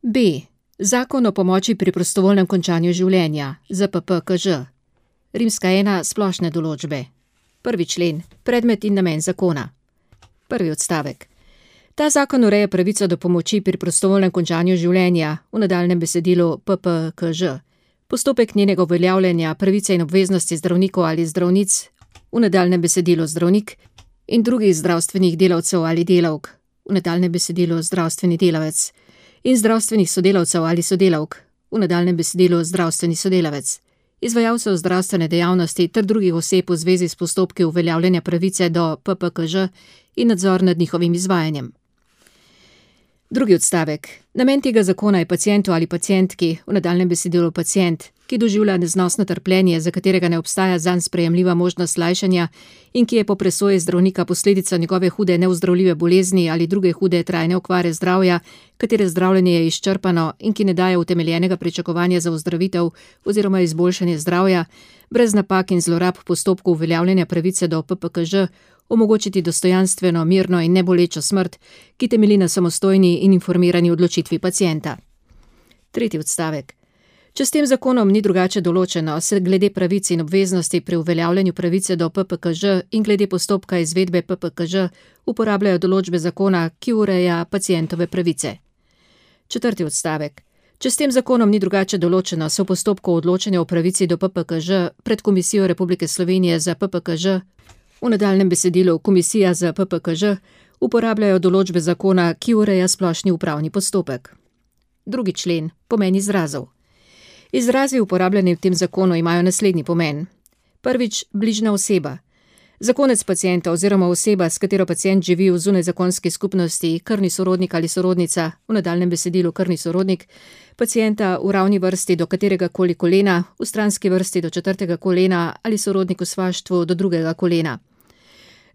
B. Zakon o pomoči pri prostovoljnem končanju življenja, ZPPKŽ. Rimska 1. Splošne določbe. 1. člen. Predmet in namen zakona. 1. odstavek. Ta zakon ureja pravico do pomoči pri prostovoljnem končanju življenja, v nadaljnjem besedilu PPKŽ. Postopek njenega uveljavljanja, pravice in obveznosti zdravnikov ali zdravnic, v nadaljnjem besedilu zdravnik, in drugih zdravstvenih delavcev ali delavk, v nadaljnjem besedilu zdravstveni delavec, in zdravstvenih sodelavcev ali sodelavk, v nadaljnjem besedilu zdravstveni sodelavec, izvajalcev zdravstvene dejavnosti ter drugih oseb v zvezi s postopki uveljavljanja pravice do PPKŽ in nadzor nad njihovim izvajanjem. 2. odstavek. Namen tega zakona je pacientu ali pacientki, v nadaljnjem besedilu pacient, ki doživlja neznosno trpljenje, za katerega ne obstaja zanj sprejemljiva možnost lajšanja in ki je po presoji zdravnika posledica njegove hude neozdravljive bolezni ali druge hude trajne okvare zdravja, katere zdravljenje je izčrpano in ki ne daje utemeljenega pričakovanja za ozdravitev oziroma izboljšanje zdravja, brez napak in zlorab postopkov uveljavljanja pravice do PPKŽ, omogočiti dostojanstveno, mirno in nebolečo smrt, ki temelji na samostojni in informirani odločitvi pacienta. 3. odstavek. Če s tem zakonom ni drugače določeno, se glede pravic in obveznosti pri uveljavljanju pravice do PPKŽ in glede postopka izvedbe PPKŽ uporabljajo določbe zakona, ki ureja pacientove pravice. 4. odstavek. Če s tem zakonom ni drugače določeno, se v postopku odločanja o pravici do PPKŽ pred Komisijo Republike Slovenije za PPKŽ, v nadaljnjem besedilu Komisija za PPKŽ, uporabljajo določbe zakona, ki ureja splošni upravni postopek. 2. člen. Pomen izrazov. Izrazi uporabljeni v tem zakonu imajo naslednji pomen. 1. Bližnja oseba. Zakonec pacienta oziroma oseba, s katero pacient živi v zunajzakonski skupnosti, krvni sorodnik ali sorodnica, v nadaljnjem besedilu krvni sorodnik, pacienta v ravni vrsti do katerega koli kolena, v stranski vrsti do 4. kolena ali sorodnik v svaštvu do 2. kolena.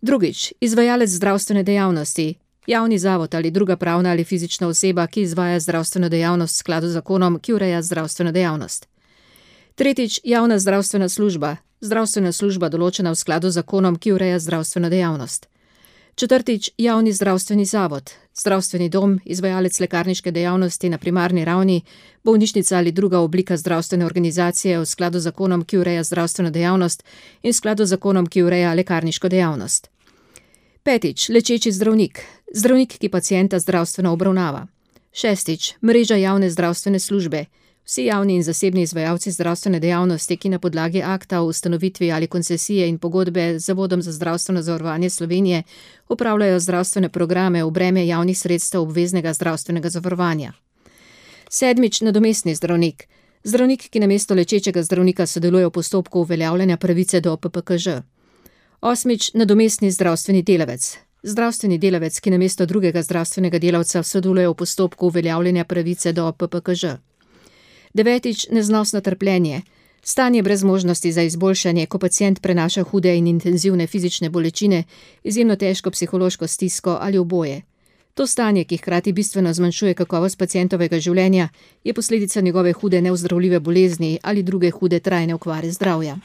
2. Izvajalec zdravstvene dejavnosti. Javni zavod ali druga pravna ali fizična oseba, ki izvaja zdravstveno dejavnost v skladu z zakonom, ki ureja zdravstveno dejavnost. 3. Javna zdravstvena služba. Zdravstvena služba določena v skladu z zakonom, ki ureja zdravstveno dejavnost. 4. Javni zdravstveni zavod. Zdravstveni dom, izvajalec lekarniške dejavnosti na primarni ravni, bolnišnica ali druga oblika zdravstvene organizacije v skladu z zakonom, ki ureja zdravstveno dejavnost in v skladu z zakonom, ki ureja lekarniško dejavnost. 5. Lečeči zdravnik. Zdravnik, ki pacienta zdravstveno obravnava. 6. Mreža javne zdravstvene službe. Vsi javni in zasebni izvajalci zdravstvene dejavnosti, ki na podlagi akta o ustanovitvi ali koncesije in pogodbe z Zavodom za zdravstveno zavarovanje Slovenije upravljajo zdravstvene programe v breme javnih sredstev obveznega zdravstvenega zavarovanja. 7. Nadomestni zdravnik. Zdravnik, ki namesto lečečega zdravnika sodeluje v postopku uveljavljanja pravice do PPKŽ. 8. Nadomestni zdravstveni delavec. Zdravstveni delavec, ki namesto drugega zdravstvenega delavca sodeluje v postopku uveljavljanja pravice do PPKŽ. 9. Neznosno trpljenje. Stanje brez možnosti za izboljšanje, ko pacient prenaša hude in intenzivne fizične bolečine, izjemno težko psihološko stisko ali oboje. To stanje, ki hkrati bistveno zmanjšuje kakovost pacientovega življenja, je posledica njegove hude neozdravljive bolezni ali druge hude trajne okvare zdravja.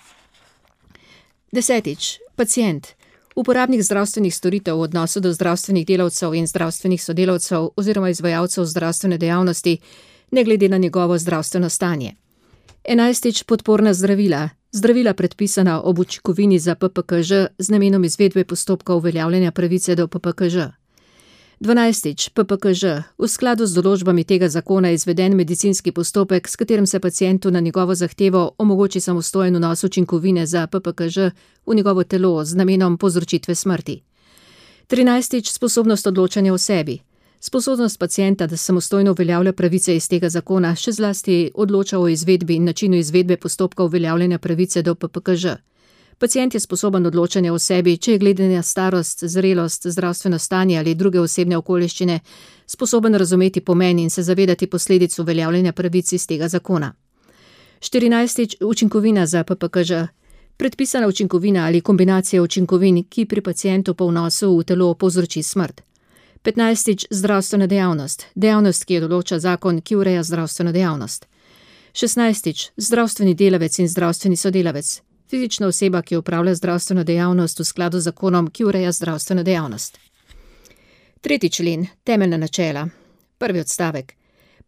10. Pacient. Uporabnik zdravstvenih storitev v odnosu do zdravstvenih delavcev in zdravstvenih sodelavcev oziroma izvajalcev zdravstvene dejavnosti, ne glede na njegovo zdravstveno stanje. 11. Podporna zdravila. Zdravila predpisana ob učinkovini za PPKŽ z namenom izvedbe postopka uveljavljanja pravice do PPKŽ. 12. PPKŽ. V skladu z določbami tega zakona je izveden medicinski postopek, s katerim se pacientu na njegovo zahtevo omogoči samostojen vnos učinkovine za PPKŽ v njegovo telo z namenom povzročitve smrti. 13. Sposobnost odločanja o sebi. Sposobnost pacienta, da samostojno uveljavlja pravice iz tega zakona, še zlasti odloča o izvedbi in načinu izvedbe postopka uveljavljanja pravice do PPKŽ. Pacient je sposoben odločanja o sebi, če je glede na starost, zrelost, zdravstveno stanje ali druge osebne okoliščine sposoben razumeti pomen in se zavedati posledic uveljavljanja pravic iz tega zakona. 14. Učinkovina za PPKŽ. Predpisana učinkovina ali kombinacija učinkovin, ki pri pacientu po vnosu v telo povzroči smrt. 15. Zdravstvena dejavnost. Dejavnost, ki jo določa zakon, ki ureja zdravstveno dejavnost. 16. Zdravstveni delavec in zdravstveni sodelavec. Fizična oseba, ki opravlja zdravstveno dejavnost v skladu z zakonom, ki ureja zdravstveno dejavnost. 3. člen. Temeljna načela. 1. odstavek.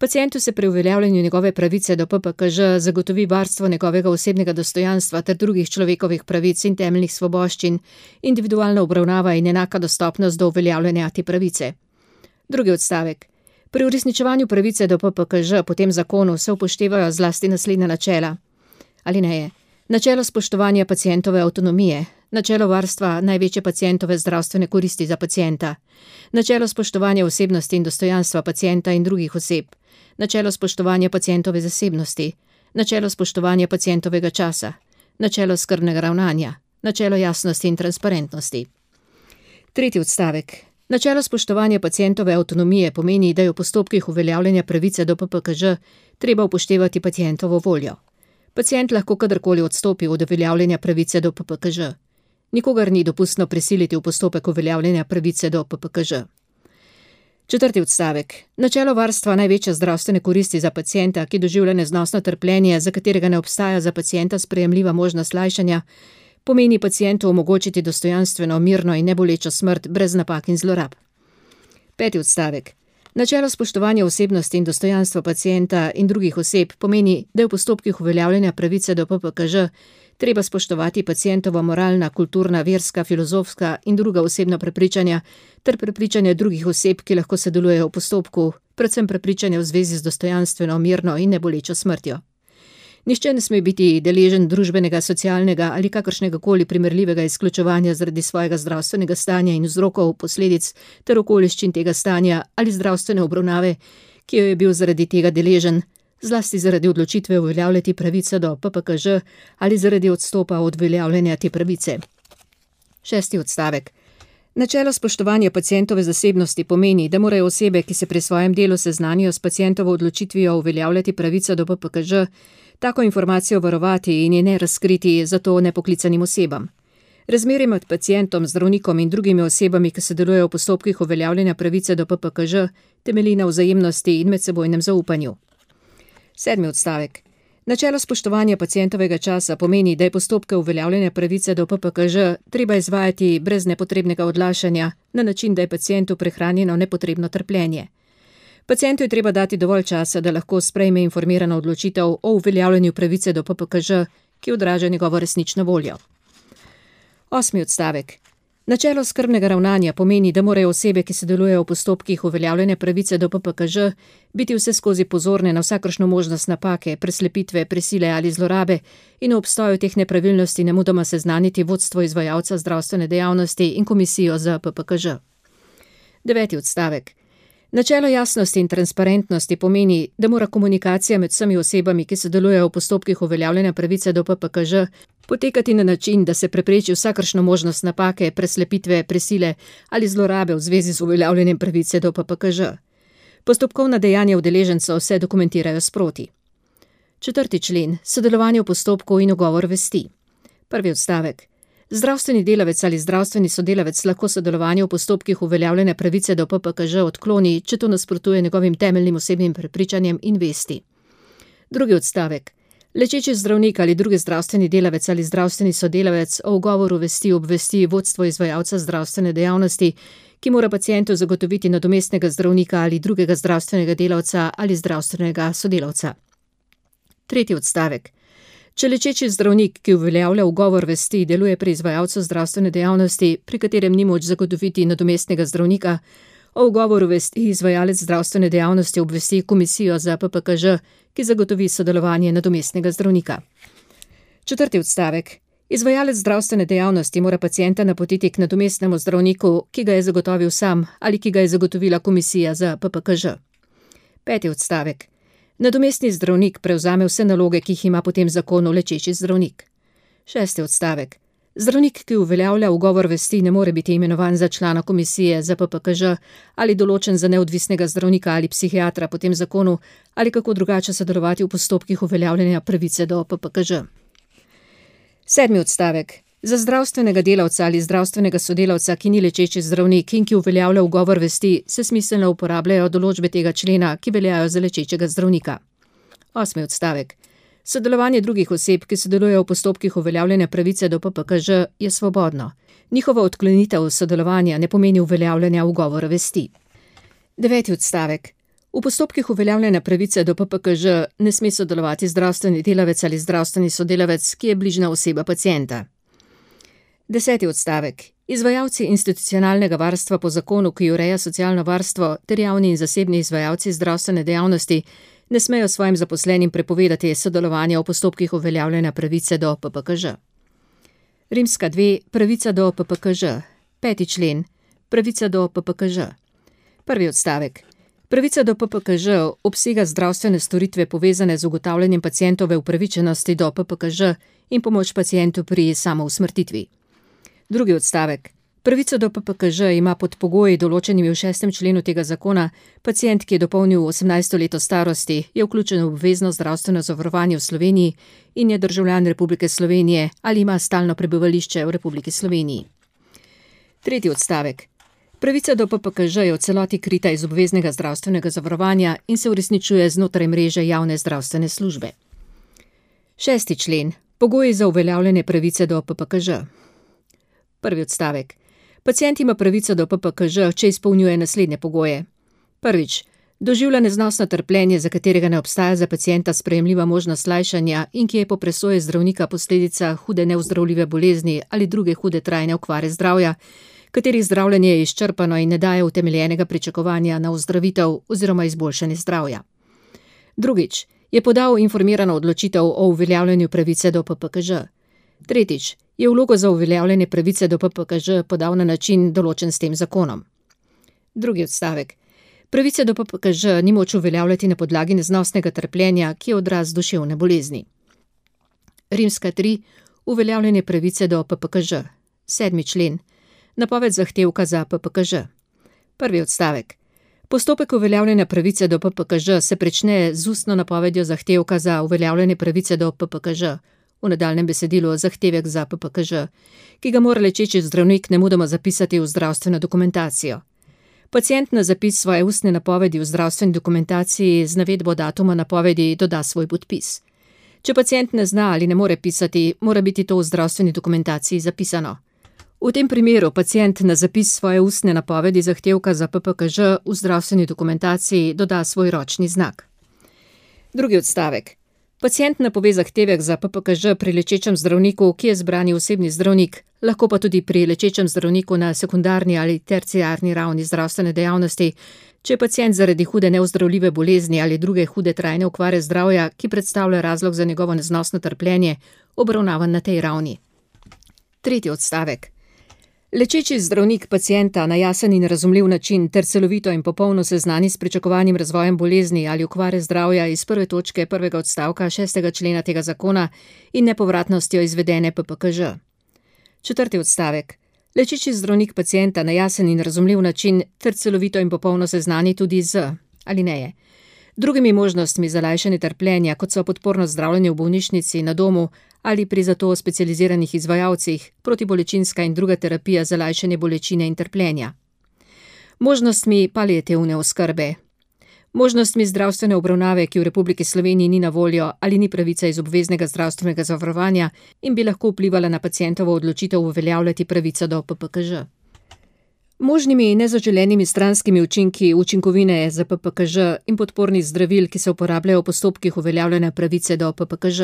Pacientu se pri uveljavljanju njegove pravice do PPKŽ zagotovi varstvo njegovega osebnega dostojanstva ter drugih človekovih pravic in temeljnih svoboščin, individualna obravnava in enaka dostopnost do uveljavljanja te pravice. Drugi odstavek. Pri uresničevanju pravice do PPKŽ po tem zakonu se upoštevajo zlasti naslednja načela. Alineje. Načelo spoštovanja pacientove avtonomije, načelo varstva največje pacientove zdravstvene koristi za pacienta, načelo spoštovanja osebnosti in dostojanstva pacienta in drugih oseb, načelo spoštovanja pacientove zasebnosti, načelo spoštovanja pacientovega časa, načelo skrbnega ravnanja, načelo jasnosti in transparentnosti. Tretji odstavek. Načelo spoštovanja pacientove avtonomije pomeni, da je v postopkih uveljavljanja pravice do PPKŽ treba upoštevati pacientovo voljo. Pacient lahko kadarkoli odstopi od uveljavljanja pravice do PPKŽ. Nikogar ni dopustno prisiliti v postopek uveljavljanja pravice do PPKŽ. Četrti odstavek. Načelo varstva največje zdravstvene koristi za pacienta, ki doživlja neznosno trpljenje, za katerega ne obstaja za pacienta sprejemljiva možnost lajšanja, pomeni pacientu omogočiti dostojanstveno, mirno in nebolečo smrt brez napak in zlorab. Peti odstavek. Načelo spoštovanja osebnosti in dostojanstva pacienta in drugih oseb pomeni, da je v postopkih uveljavljanja pravice do PPKŽ treba spoštovati pacientova moralna, kulturna, verska, filozofska in druga osebna prepričanja ter prepričanja drugih oseb, ki lahko sodelujejo v postopku, predvsem prepričanja v zvezi z dostojanstveno, mirno in nebolečo smrtjo. Nihče ne sme biti deležen družbenega, socialnega ali kakršnega koli primerljivega izključevanja zaradi svojega zdravstvenega stanja in vzrokov, posledic ter okoliščin tega stanja ali zdravstvene obravnave, ki jo je bil zaradi tega deležen, zlasti zaradi odločitve uveljavljati pravico do PPKŽ ali zaradi odstopa od uveljavljanja te pravice. Šesti odstavek. Načelo spoštovanja pacientove zasebnosti pomeni, da morajo osebe, ki se pri svojem delu seznanijo s pacientovo odločitvijo uveljavljati pravico do PPKŽ, tako informacijo varovati in je ne razkriti zato nepoklicanim osebam. Razmerje med pacientom, zdravnikom in drugimi osebami, ki sodelujejo v postopkih uveljavljanja pravice do PPKŽ, temelji na vzajemnosti in medsebojnem zaupanju. Sedmi odstavek. Načelo spoštovanja pacientovega časa pomeni, da je postopke uveljavljanja pravice do PPKŽ treba izvajati brez nepotrebnega odlašanja, na način, da je pacientu prehranjeno nepotrebno trpljenje. Pacientu je treba dati dovolj časa, da lahko sprejme informirano odločitev o uveljavljanju pravice do PPKŽ, ki odraža njegovo resnično voljo. Osmi odstavek. Načelo skrbnega ravnanja pomeni, da morajo osebe, ki sodelujejo v postopkih uveljavljanja pravice do PPKŽ, biti vseskozi pozorne na vsakršno možnost napake, preslepitve, prisile ali zlorabe in v obstoju teh nepravilnosti nemudoma seznaniti vodstvo izvajalca zdravstvene dejavnosti in komisijo za PPKŽ. Deveti odstavek. Načelo jasnosti in transparentnosti pomeni, da mora komunikacija med vsemi osebami, ki sodelujejo v postopkih uveljavljanja pravice do PPKŽ, potekati na način, da se prepreči vsakršno možnost napake, preslepitve, prisile ali zlorabe v zvezi z uveljavljanjem pravice do PPKŽ. Postopkovna dejanja udeležencev se dokumentirajo sproti. 4. člen. Sodelovanje v postopku in ugovor vesti. 1. odstavek. Zdravstveni delavec ali zdravstveni sodelavec lahko sodelovanje v postopkih uveljavljanja pravice do PPKŽ odkloni, če to nasprotuje njegovim temeljnim osebnim prepričanjem in vesti. 2. odstavek. Lečeči zdravnik ali drugi zdravstveni delavec ali zdravstveni sodelavec o ugovoru vesti obvesti vodstvo izvajalca zdravstvene dejavnosti, ki mora pacientu zagotoviti nadomestnega zdravnika ali drugega zdravstvenega delavca ali zdravstvenega sodelavca. 3. odstavek. Če lečeči zdravnik, ki uveljavlja ugovor vesti, deluje pri izvajalcu zdravstvene dejavnosti, pri katerem ni moč zagotoviti nadomestnega zdravnika, o ugovoru vesti izvajalec zdravstvene dejavnosti obvesti komisijo za PPKŽ, ki zagotovi sodelovanje nadomestnega zdravnika. 4. odstavek. Izvajalec zdravstvene dejavnosti mora pacienta napotiti k nadomestnemu zdravniku, ki ga je zagotovil sam ali ki ga je zagotovila komisija za PPKŽ. 5. odstavek. Nadomestni zdravnik prevzame vse naloge, ki jih ima po tem zakonu lečeči zdravnik. 6. odstavek. Zdravnik, ki uveljavlja ugovor vesti, ne more biti imenovan za člana komisije za PPKŽ ali določen za neodvisnega zdravnika ali psihiatra po tem zakonu ali kako drugače sodelovati v postopkih uveljavljanja pravice do PPKŽ. 7. odstavek. Za zdravstvenega delavca ali zdravstvenega sodelavca, ki ni lečeči zdravnik in ki uveljavlja ugovor vesti, se smiselno uporabljajo določbe tega člena, ki veljajo za lečečega zdravnika. 8. odstavek. Sodelovanje drugih oseb, ki sodelujejo v postopkih uveljavljanja pravice do PPKŽ, je svobodno. Njihova odklonitev sodelovanja ne pomeni uveljavljanja ugovora vesti. 9. odstavek. V postopkih uveljavljanja pravice do PPKŽ ne sme sodelovati zdravstveni delavec ali zdravstveni sodelavec, ki je bližnja oseba pacienta. 10. odstavek. Izvajalci institucionalnega varstva po zakonu, ki ureja socialno varstvo, ter javni in zasebni izvajalci zdravstvene dejavnosti ne smejo svojim zaposlenim prepovedati sodelovanja v postopkih uveljavljanja pravice do PPKŽ. Rimska 2. Pravica do PPKŽ. 5. člen. Pravica do PPKŽ. 1. odstavek. Pravica do PPKŽ obsega zdravstvene storitve povezane z ugotavljanjem pacientove upravičenosti do PPKŽ in pomoč pacientu pri samousmrtitvi. 2. odstavek. Pravico do PPKŽ ima pod pogoji določenimi v 6. členu tega zakona pacient, ki je dopolnil 18. leto starosti, je vključen v obvezno zdravstveno zavarovanje v Sloveniji in je državljan Republike Slovenije ali ima stalno prebivališče v Republiki Sloveniji. 3. odstavek. Pravica do PPKŽ je v celoti krita iz obveznega zdravstvenega zavarovanja in se uresničuje znotraj mreže javne zdravstvene službe. 6. člen. Pogoji za uveljavljanje pravice do PPKŽ. 1. odstavek. Pacient ima pravico do PPKŽ, če izpolnjuje naslednje pogoje. Prvič. Doživlja neznosno trpljenje, za katerega ne obstaja za pacienta sprejemljiva možnost lajšanja in ki je po presoji zdravnika posledica hude neozdravljive bolezni ali druge hude trajne okvare zdravja, katerih zdravljenje je izčrpano in ne daje utemeljenega pričakovanja na ozdravitev oziroma izboljšanje zdravja. Drugič. Je podal informirano odločitev o uveljavljanju pravice do PPKŽ. Tretjič. Je vlogo za uveljavljanje pravice do PPKŽ podal na način določen s tem zakonom. 2. odstavek. Pravice do PPKŽ ni moč uveljavljati na podlagi neznosnega trpljenja, ki je odraz duševne bolezni. Rimska 3. Uveljavljanje pravice do PPKŽ. 7. člen. Napoved zahtevka za PPKŽ. 1. odstavek. Postopek uveljavljanja pravice do PPKŽ se prične z ustno napovedjo zahtevka za uveljavljanje pravice do PPKŽ, v nadaljnjem besedilu zahtevek za PPKŽ, ki ga mora lečeči zdravnik nemudoma zapisati v zdravstveno dokumentacijo. Pacient na zapis svoje ustne napovedi v zdravstveni dokumentaciji z navedbo datuma napovedi doda svoj podpis. Če pacient ne zna ali ne more pisati, mora biti to v zdravstveni dokumentaciji zapisano. V tem primeru pacient na zapis svoje ustne napovedi zahtevka za PPKŽ v zdravstveni dokumentaciji doda svoj ročni znak. 2. odstavek. Pacient napove zahtevek za PPKŽ pri lečečem zdravniku, ki je zbrani osebni zdravnik, lahko pa tudi pri lečečem zdravniku na sekundarni ali terciarni ravni zdravstvene dejavnosti, če je pacient zaradi hude neozdravljive bolezni ali druge hude trajne okvare zdravja, ki predstavlja razlog za njegovo neznosno trpljenje, obravnavan na tej ravni. 3. odstavek. Lečeči zdravnik pacienta na jasen in razumljiv način ter celovito in popolno seznani s pričakovanim razvojem bolezni ali okvare zdravja iz 1. točke 1. odstavka 6. člena tega zakona in nepovratnostjo izvedene PPKŽ. 4. odstavek. Lečeči zdravnik pacienta na jasen in razumljiv način ter celovito in popolno seznani tudi z alineje. Drugimi možnostmi za lajšanje trpljenja, kot so podporno zdravljenje v bolnišnici, na domu ali pri zato specializiranih izvajalcih, protibolečinska in druga terapija za lajšanje bolečine in trpljenja. Možnostmi paliativne oskrbe. Možnostmi zdravstvene obravnave, ki v Republiki Sloveniji ni na voljo ali ni pravica iz obveznega zdravstvenega zavarovanja in bi lahko vplivala na pacientovo odločitev uveljavljati pravico do PPKŽ. Možnimi nezaželenimi stranskimi učinki učinkovine za PPKŽ in podpornih zdravil, ki se uporabljajo v postopkih uveljavljanja pravice do PPKŽ.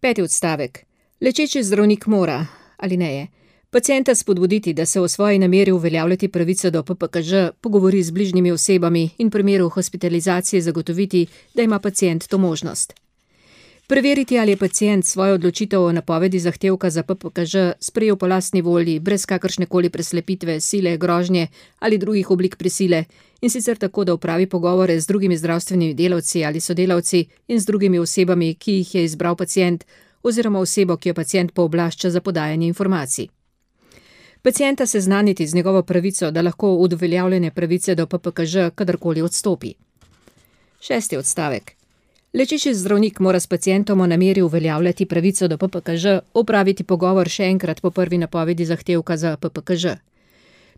5. odstavek. Lečeči zdravnik mora, alineje, pacienta spodbuditi, da se o svoji nameri uveljavljati pravico do PPKŽ pogovori z bližnjimi osebami in v primeru hospitalizacije zagotoviti, da ima pacient to možnost. Preveriti, ali je pacient svojo odločitev o napovedi zahtevka za PPKŽ sprejel po lastni volji, brez kakršnekoli preslepitve, sile, grožnje ali drugih oblik prisile, in sicer tako, da opravi pogovore z drugimi zdravstvenimi delavci ali sodelavci in z drugimi osebami, ki jih je izbral pacient, oziroma osebo, ki jo pacient pooblašča za podajanje informacij. Pacienta seznaniti z njegovo pravico, da lahko od uveljavljene pravice do PPKŽ kadarkoli odstopi. 6. odstavek. Lečeči zdravnik mora s pacientom o nameri uveljavljati pravico do PPKŽ opraviti pogovor še enkrat po prvi napovedi zahtevka za PPKŽ.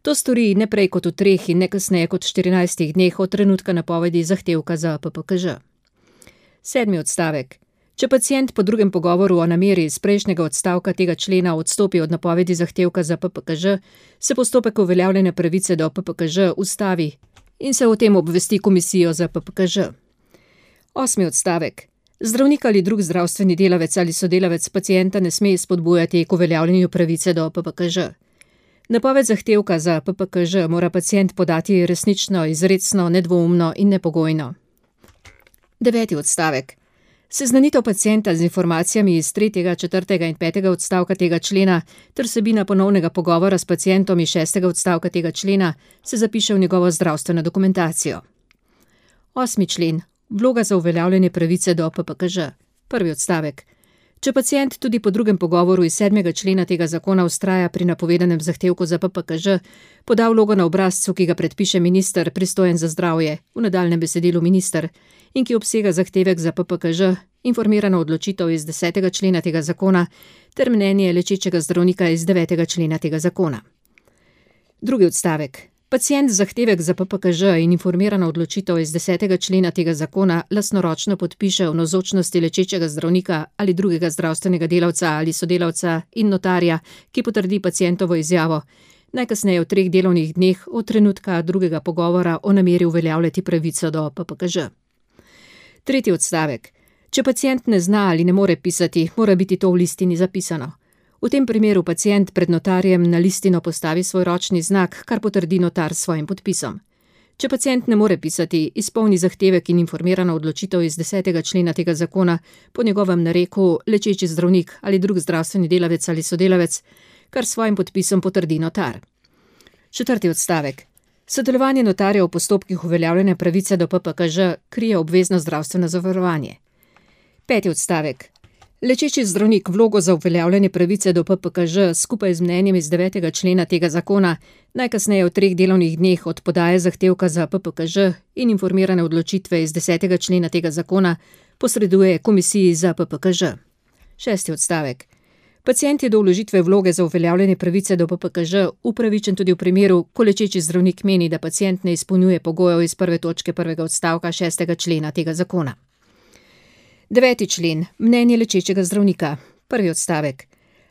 To stori ne prej kot v 3 in ne kasneje kot 14 dneh od trenutka napovedi zahtevka za PPKŽ. 7. odstavek. Če pacient po drugem pogovoru o nameri iz prejšnjega odstavka tega člena odstopi od napovedi zahtevka za PPKŽ, se postopek uveljavljanja pravice do PPKŽ ustavi in se o tem obvesti komisijo za PPKŽ. 8. odstavek. Zdravnik ali drug zdravstveni delavec ali sodelavec pacienta ne sme spodbujati k uveljavljanju pravice do PPKŽ. Napoved zahtevka za PPKŽ mora pacient podati resnično, izrecno, nedvoumno in nepogojno. 9. odstavek. Seznanitev pacienta z informacijami iz 3., 4. in 5. odstavka tega člena ter vsebina ponovnega pogovora s pacientom iz 6. odstavka tega člena se zapiše v njegovo zdravstveno dokumentacijo. 8. člen. Vloga za uveljavljanje pravice do PPKŽ. 1. odstavek. Če pacient tudi po drugem pogovoru iz 7. člena tega zakona vztraja pri napovedanem zahtevku za PPKŽ, poda vlogo na obrazcu, ki ga predpiše minister, pristojen za zdravje, v nadaljnjem besedilu minister, in ki obsega zahtevek za PPKŽ, informirano odločitev iz 10. člena tega zakona ter mnenje lečečega zdravnika iz 9. člena tega zakona. 2. odstavek. Pacient zahtevek za PPKŽ in informirana odločitev iz 10. člena tega zakona lastnoročno podpiše v navzočnosti lečečega zdravnika ali drugega zdravstvenega delavca ali sodelavca in notarja, ki potrdi pacientovo izjavo, najkasneje v 3 delovnih dneh od trenutka drugega pogovora o nameri uveljavljati pravico do PPKŽ. 3. odstavek. Če pacient ne zna ali ne more pisati, mora biti to v listini zapisano. V tem primeru pacient pred notarjem na listino postavi svoj ročni znak, kar potrdi notar s svojim podpisom. Če pacient ne more pisati, izpolni zahtevek in informirana odločitev iz 10. člena tega zakona po njegovem nareku lečeči zdravnik ali drug zdravstveni delavec ali sodelavec, kar s svojim podpisom potrdi notar. 4. odstavek. Sodelovanje notarja v postopkih uveljavljanja pravice do PPKŽ krije obvezno zdravstveno zavarovanje. 5. odstavek. Lečeči zdravnik vlogo za uveljavljanje pravice do PPKŽ skupaj z mnenjem iz 9. člena tega zakona najkasneje v 3 delovnih dneh od podaje zahtevka za PPKŽ in informirane odločitve iz 10. člena tega zakona posreduje komisiji za PPKŽ. 6. odstavek. Pacient je do vložitve vloge za uveljavljanje pravice do PPKŽ upravičen tudi v primeru, ko lečeči zdravnik meni, da pacient ne izpolnjuje pogojev iz 1. točke 1. odstavka 6. člena tega zakona. 9. člen. Mnenje lečečega zdravnika. 1. odstavek.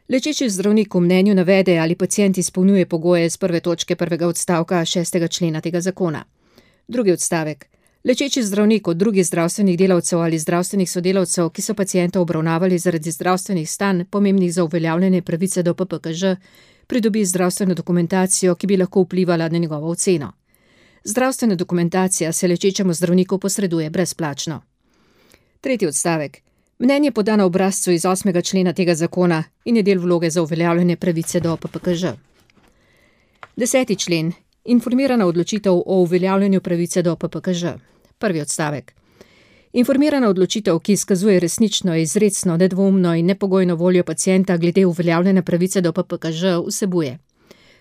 Lečeči zdravnik v mnenju navede, ali pacient izpolnjuje pogoje iz 1. točke 1. odstavka 6. člena tega zakona. 2. odstavek. Lečeči zdravnik od drugih zdravstvenih delavcev ali zdravstvenih sodelavcev, ki so pacienta obravnavali zaradi zdravstvenih stanj, pomembnih za uveljavljanje pravice do PPKŽ, pridobi zdravstveno dokumentacijo, ki bi lahko vplivala na njegovo oceno. Zdravstvena dokumentacija se lečečemu zdravniku posreduje brezplačno. 3. odstavek. Mnenje poda na obrazcu iz 8. člena tega zakona in je del vloge za uveljavljanje pravice do PPKŽ. 10. člen. Informirana odločitev o uveljavljanju pravice do PPKŽ. 1. odstavek. Informirana odločitev, ki izkazuje resnično, izrecno, nedvoumno in nepogojno voljo pacienta glede uveljavljanja pravice do PPKŽ, vsebuje: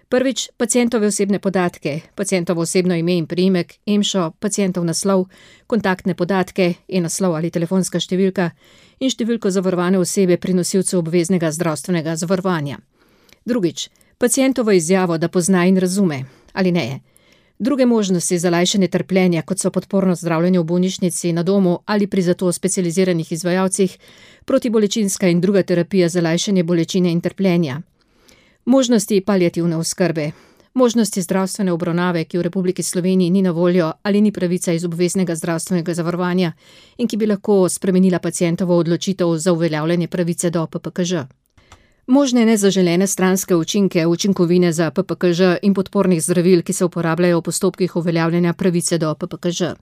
prvič, pacientove osebne podatke, pacientovo osebno ime in priimek, EMŠO, pacientov naslov, kontaktne podatke, e-naslov ali telefonska številka in številko zavarovane osebe pri nosilcu obveznega zdravstvenega zavarovanja. Drugič, pacientovo izjavo, da pozna in razume, ali ne. Druge možnosti za lajšanje trpljenja, kot so podporno zdravljenje v bolnišnici, na domu ali pri zato specializiranih izvajalcih, protibolečinska in druga terapija za lajšanje bolečine in trpljenja. Možnosti paliativne oskrbe, možnosti zdravstvene obravnave, ki v Republiki Sloveniji ni na voljo ali ni pravica iz obveznega zdravstvenega zavarovanja in ki bi lahko spremenila pacientovo odločitev za uveljavljanje pravice do PPKŽ. Možne nezaželene stranske učinke, učinkovine za PPKŽ in podpornih zdravil, ki se uporabljajo v postopkih uveljavljanja pravice do PPKŽ.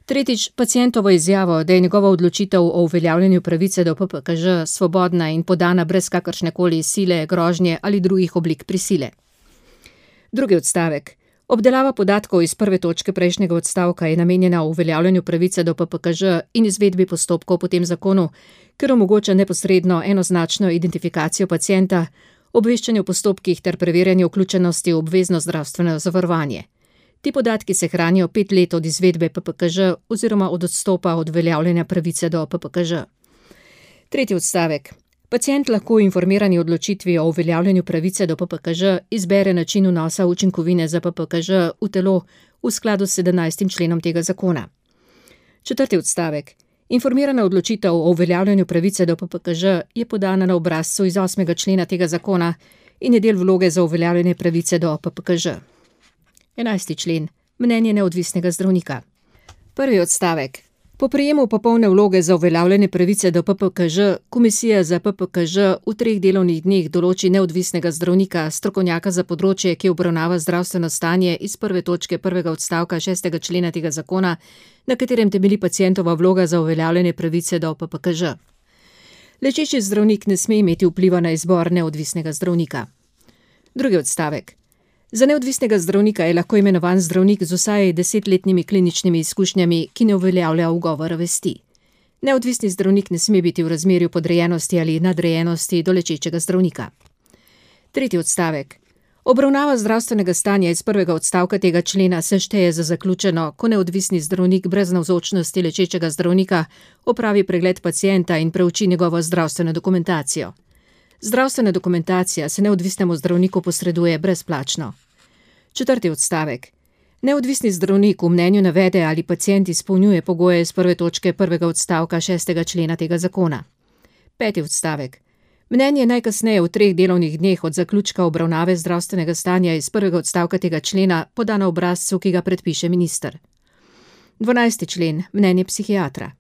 Tretjič, pacientovo izjavo, da je njegova odločitev o uveljavljanju pravice do PPKŽ svobodna in podana brez kakršnekoli sile, grožnje ali drugih oblik prisile. 2. odstavek. Obdelava podatkov iz 1. točke prejšnjega odstavka je namenjena uveljavljanju pravice do PPKŽ in izvedbi postopkov po tem zakonu, ker omogoča neposredno enoznačno identifikacijo pacienta, obveščanje o postopkih ter preverjanje vključenosti v obvezno zdravstveno zavarovanje. Ti podatki se hranijo 5 let od izvedbe PPKŽ oziroma od odstopa od uveljavljanja pravice do PPKŽ. 3. odstavek. Pacient lahko v informirani odločitvi o uveljavljanju pravice do PPKŽ izbere način vnosa učinkovine za PPKŽ v telo v skladu s 17. členom tega zakona. 4. odstavek. Informirana odločitev o uveljavljanju pravice do PPKŽ je podana na obrazcu iz 8. člena tega zakona in je del vloge za uveljavljanje pravice do PPKŽ. 11. člen. Mnenje neodvisnega zdravnika. Prvi odstavek. Po prejemu popolne vloge za uveljavljene pravice do PPKŽ, Komisija za PPKŽ v 3 delovnih dneh določi neodvisnega zdravnika, strokovnjaka za področje, ki obravnava zdravstveno stanje iz 1. točke 1. odstavka 6. člena tega zakona, na katerem temelji pacientova vloga za uveljavljene pravice do PPKŽ. Lečeči zdravnik ne sme imeti vpliva na izbor neodvisnega zdravnika. Drugi odstavek. Za neodvisnega zdravnika je lahko imenovan zdravnik z vsaj 10-letnimi kliničnimi izkušnjami, ki ne uveljavlja ugovora vesti. Neodvisni zdravnik ne sme biti v razmerju podrejenosti ali nadrejenosti do lečečega zdravnika. Tretji odstavek. Obravnava zdravstvenega stanja iz 1. odstavka tega člena se šteje za zaključeno, ko neodvisni zdravnik brez navzočnosti lečečega zdravnika opravi pregled pacienta in preuči njegovo zdravstveno dokumentacijo. Zdravstvena dokumentacija se neodvisnemu zdravniku posreduje brezplačno. Četrti odstavek. Neodvisni zdravnik v mnenju navede, ali pacient izpolnjuje pogoje iz 1. točke 1. odstavka 6. člena tega zakona. Peti odstavek. Mnenje najkasneje v 3 delovnih dneh od zaključka obravnave zdravstvenega stanja iz 1. odstavka tega člena poda na obrazcu, ki ga predpiše minister. 12. člen. Mnenje psihiatra.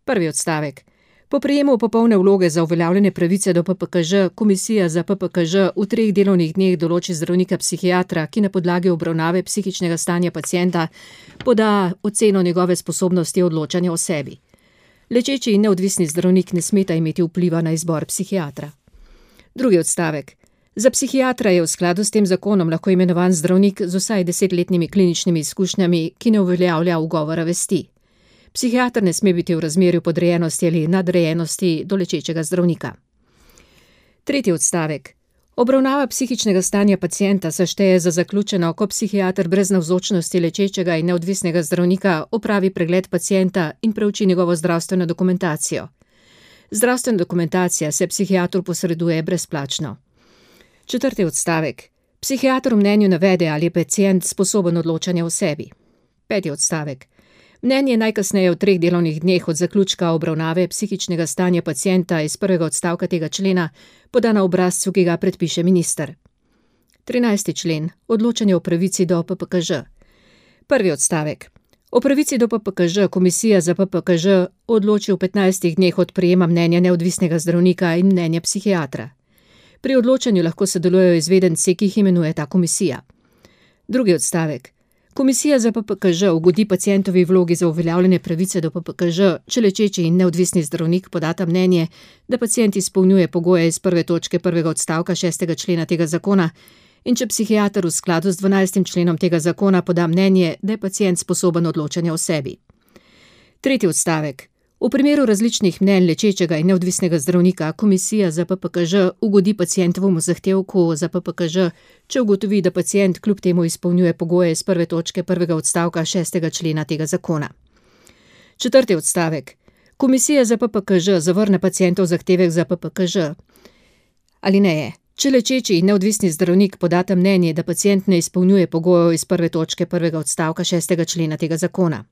Prvi odstavek. Po prejemu popolne vloge za uveljavljene pravice do PPKŽ, Komisija za PPKŽ v 3 delovnih dneh določi zdravnika psihiatra, ki na podlagi obravnave psihičnega stanja pacienta poda oceno njegove sposobnosti odločanja o sebi. Lečeči in neodvisni zdravnik ne smeta imeti vpliva na izbor psihiatra. Drugi odstavek. Za psihiatra je v skladu s tem zakonom lahko imenovan zdravnik z vsaj 10-letnimi kliničnimi izkušnjami, ki ne uveljavlja ugovora vesti. Psihiater ne sme biti v razmerju podrejenosti ali nadrejenosti do lečečega zdravnika. Tretji odstavek. Obravnava psihičnega stanja pacienta se šteje za zaključeno, ko psihiater brez navzočnosti lečečega in neodvisnega zdravnika opravi pregled pacienta in preuči njegovo zdravstveno dokumentacijo. Zdravstvena dokumentacija se psihiatru posreduje brezplačno. Četrti odstavek. Psihiater v mnenju navede, ali je pacient sposoben odločanja o sebi. Peti odstavek. Mnenje najkasneje v 3 delovnih dneh od zaključka obravnave psihičnega stanja pacienta iz 1. odstavka tega člena poda na obrazcu, ki ga predpiše minister. 13. člen. Odločanje o pravici do PPKŽ. Prvi odstavek. O pravici do PPKŽ Komisija za PPKŽ odloči v 15 dneh od prejema mnenja neodvisnega zdravnika in mnenja psihiatra. Pri odločanju lahko sodelujejo izvedenci, ki jih imenuje ta komisija. Drugi odstavek. Komisija za PPKŽ ugodi pacientovi vlogi za uveljavljene pravice do PPKŽ, če lečeči in neodvisni zdravnik podata mnenje, da pacient izpolnjuje pogoje iz 1. točke 1. odstavka 6. člena tega zakona in če psihiater v skladu z 12. členom tega zakona poda mnenje, da je pacient sposoben odločanja o sebi. Tretji odstavek. V primeru različnih mnenj lečečega in neodvisnega zdravnika Komisija za PPKŽ ugodi pacientovemu zahtevku za PPKŽ, če ugotovi, da pacient kljub temu izpolnjuje pogoje iz 1. točke 1. odstavka 6. člena tega zakona. Četrti odstavek. Komisija za PPKŽ zavrne pacientov zahtevek za PPKŽ. Alineje. Če lečeči in neodvisni zdravnik podata mnenje, da pacient ne izpolnjuje pogojev iz 1. točke 1. odstavka 6. člena tega zakona.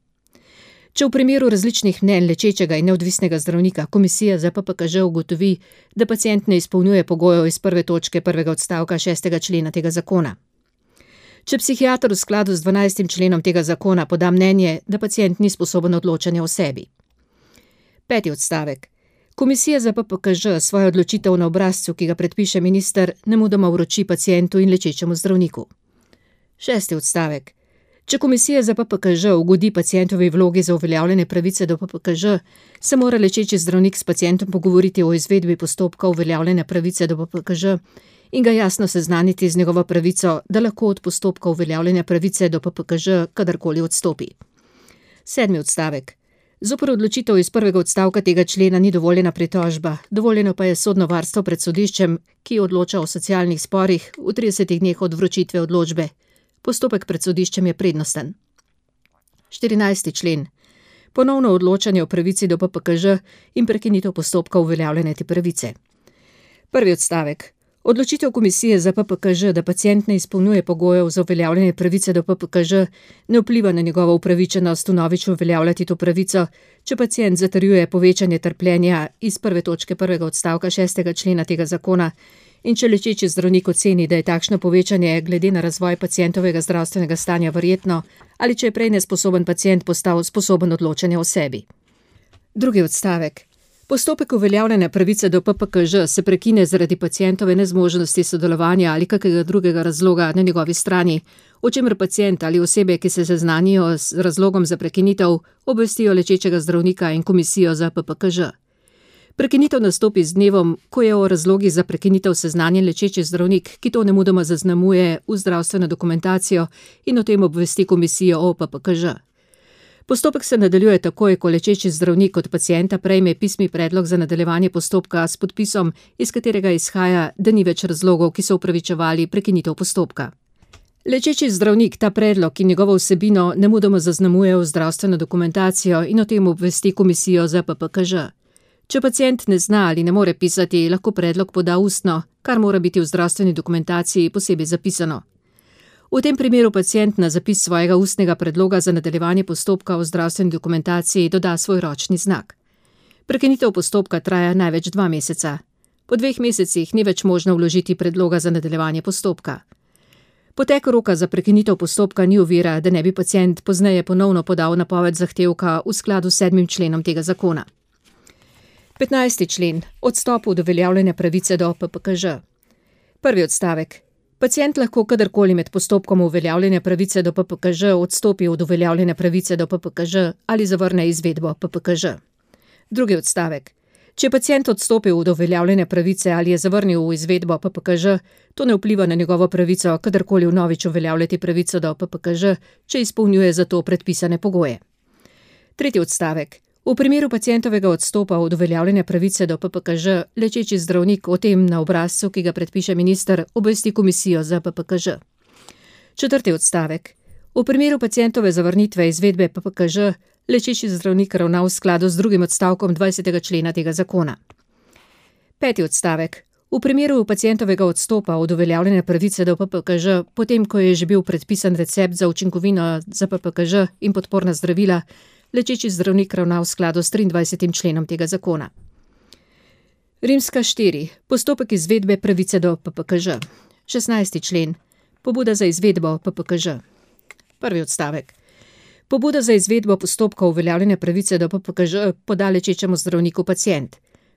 Če v primeru različnih mnenj lečečega in neodvisnega zdravnika Komisija za PPKŽ ugotovi, da pacient ne izpolnjuje pogojev iz 1. točke 1. odstavka 6. člena tega zakona. Če psihiater v skladu z 12. členom tega zakona poda mnenje, da pacient ni sposoben odločanja o sebi. Peti odstavek. Komisija za PPKŽ svojo odločitev na obrazcu, ki ga predpiše minister, nemudoma vroči pacientu in lečečemu zdravniku. Šesti odstavek. Če Komisija za PPKŽ ugodi pacientovi vlogi za uveljavljene pravice do PPKŽ, se mora lečeči zdravnik s pacientom pogovoriti o izvedbi postopka uveljavljene pravice do PPKŽ in ga jasno seznaniti z njegovo pravico, da lahko od postopka uveljavljene pravice do PPKŽ kadarkoli odstopi. Sedmi odstavek. Zoper odločitev iz 1. odstavka tega člena ni dovoljena pritožba, dovoljeno pa je sodno varstvo pred sodiščem, ki odloča o socialnih sporih v 30 dneh od vročitve odločbe. Postopek pred sodiščem je prednosten. 14. člen. Ponovno odločanje o pravici do PPKŽ in prekinitev postopka uveljavljene te pravice. Prvi odstavek. Odločitev Komisije za PPKŽ, da pacient ne izpolnjuje pogojev za uveljavljene pravice do PPKŽ, ne vpliva na njegovo upravičenost vnovič uveljavljati to pravico, če pacient zatrjuje povečanje trpljenja iz 1. točke 1. odstavka 6. člena tega zakona in če lečeči zdravnik oceni, da je takšno povečanje glede na razvoj pacientovega zdravstvenega stanja verjetno, ali če je prej nesposoben pacient postal sposoben odločanja o sebi. Drugi odstavek. Postopek uveljavljanja pravice do PPKŽ se prekine zaradi pacientove nezmožnosti sodelovanja ali kakega drugega razloga na njegovi strani, o čemer pacient ali osebe, ki se seznanijo z razlogom za prekinitev, obvestijo lečečega zdravnika in komisijo za PPKŽ. Prekinitev nastopi z dnevom, ko je o razlogih za prekinitev seznanjen lečeči zdravnik, ki to nemudoma zaznamuje v zdravstveno dokumentacijo in o tem obvesti komisijo o PPKŽ. Postopek se nadaljuje takoj, ko lečeči zdravnik od pacienta prejme pisni predlog za nadaljevanje postopka s podpisom, iz katerega izhaja, da ni več razlogov, ki so upravičevali prekinitev postopka. Lečeči zdravnik ta predlog in njegovo vsebino nemudoma zaznamuje v zdravstveno dokumentacijo in o tem obvesti komisijo za PPKŽ. Če pacient ne zna ali ne more pisati, lahko predlog poda ustno, kar mora biti v zdravstveni dokumentaciji posebej zapisano. V tem primeru pacient na zapis svojega ustnega predloga za nadaljevanje postopka v zdravstveni dokumentaciji doda svoj ročni znak. Prekinitev postopka traja največ 2 meseca. Po 2 mesecih ni več možno vložiti predloga za nadaljevanje postopka. Potek roka za prekinitev postopka ni ovira, da ne bi pacient pozneje ponovno podal napoved zahtevka v skladu s 7. členom tega zakona. 15. člen. Odstop od uveljavljanja pravice do PPKŽ. Prvi odstavek. Pacient lahko kadarkoli med postopkom uveljavljanja pravice do PPKŽ odstopi od uveljavljanja pravice do PPKŽ ali zavrne izvedbo PPKŽ. Drugi odstavek. Če je pacient odstopil od uveljavljanja pravice ali je zavrnil v izvedbo PPKŽ, to ne vpliva na njegovo pravico kadarkoli vnovič uveljavljati pravico do PPKŽ, če izpolnjuje za to predpisane pogoje. Tretji odstavek. V primeru pacientovega odstopa od uveljavljanja pravice do PPKŽ, lečeči zdravnik o tem na obrazcu, ki ga predpiše minister, obvesti komisijo za PPKŽ. Četrti odstavek. V primeru pacientove zavrnitve izvedbe PPKŽ, lečeči zdravnik ravna v skladu z drugim odstavkom 20. člena tega zakona. Peti odstavek. V primeru pacientovega odstopa od uveljavljanja pravice do PPKŽ, potem ko je že bil predpisan recept za učinkovino za PPKŽ in podporna zdravila, lečeči zdravnik ravna v skladu s 23. členom tega zakona. Rimska 4. Postopek izvedbe pravice do PPKŽ. 16. člen. Pobuda za izvedbo PPKŽ. Prvi odstavek. Pobuda za izvedbo postopka uveljavljanja pravice do PPKŽ poda lečečemu zdravniku pacient.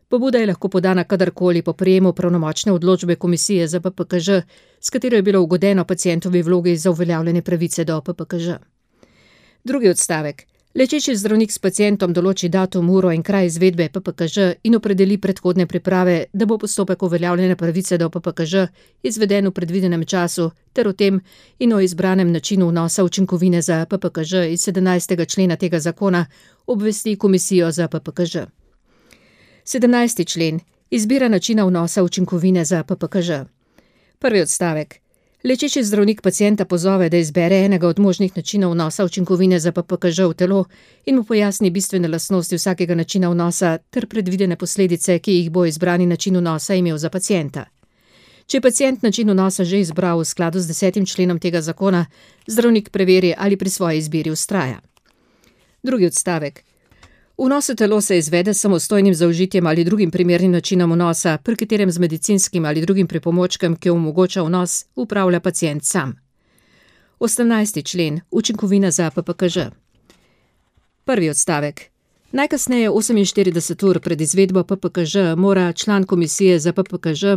Pobuda je lahko podana kadarkoli po prejemu pravnomočne odločbe komisije za PPKŽ, s katero je bilo ugodeno pacientovi vlogi za uveljavljanje pravice do PPKŽ. Drugi odstavek. Lečeči zdravnik s pacientom določi datum, uro in kraj izvedbe PPKŽ in opredeli predhodne priprave, da bo postopek uveljavljanja pravice do PPKŽ izveden v predvidenem času ter o tem in o izbranem načinu vnosa učinkovine za PPKŽ iz 17. člena tega zakona obvesti komisijo za PPKŽ. 17. člen. Izbira načina vnosa učinkovine za PPKŽ. Prvi odstavek. Lečeči zdravnik pacienta pozove, da izbere enega od možnih načinov vnosa učinkovine za PPKŽ v telo in mu pojasni bistvene lastnosti vsakega načina vnosa ter predvidene posledice, ki jih bo izbrani način vnosa imel za pacienta. Če je pacient način vnosa že izbral v skladu z 10. členom tega zakona, zdravnik preveri, ali pri svoji izbiri vztraja. Drugi odstavek. Vnos v telo se izvede s samostojnim zaužitjem ali drugim primernim načinom vnosa, pri katerem z medicinskim ali drugim pripomočkem, ki omogoča vnos, upravlja pacient sam. 18. člen. Učinkovina za PPKŽ. Prvi odstavek. Najkasneje 48 ur pred izvedbo PPKŽ mora član komisije za PPKŽ,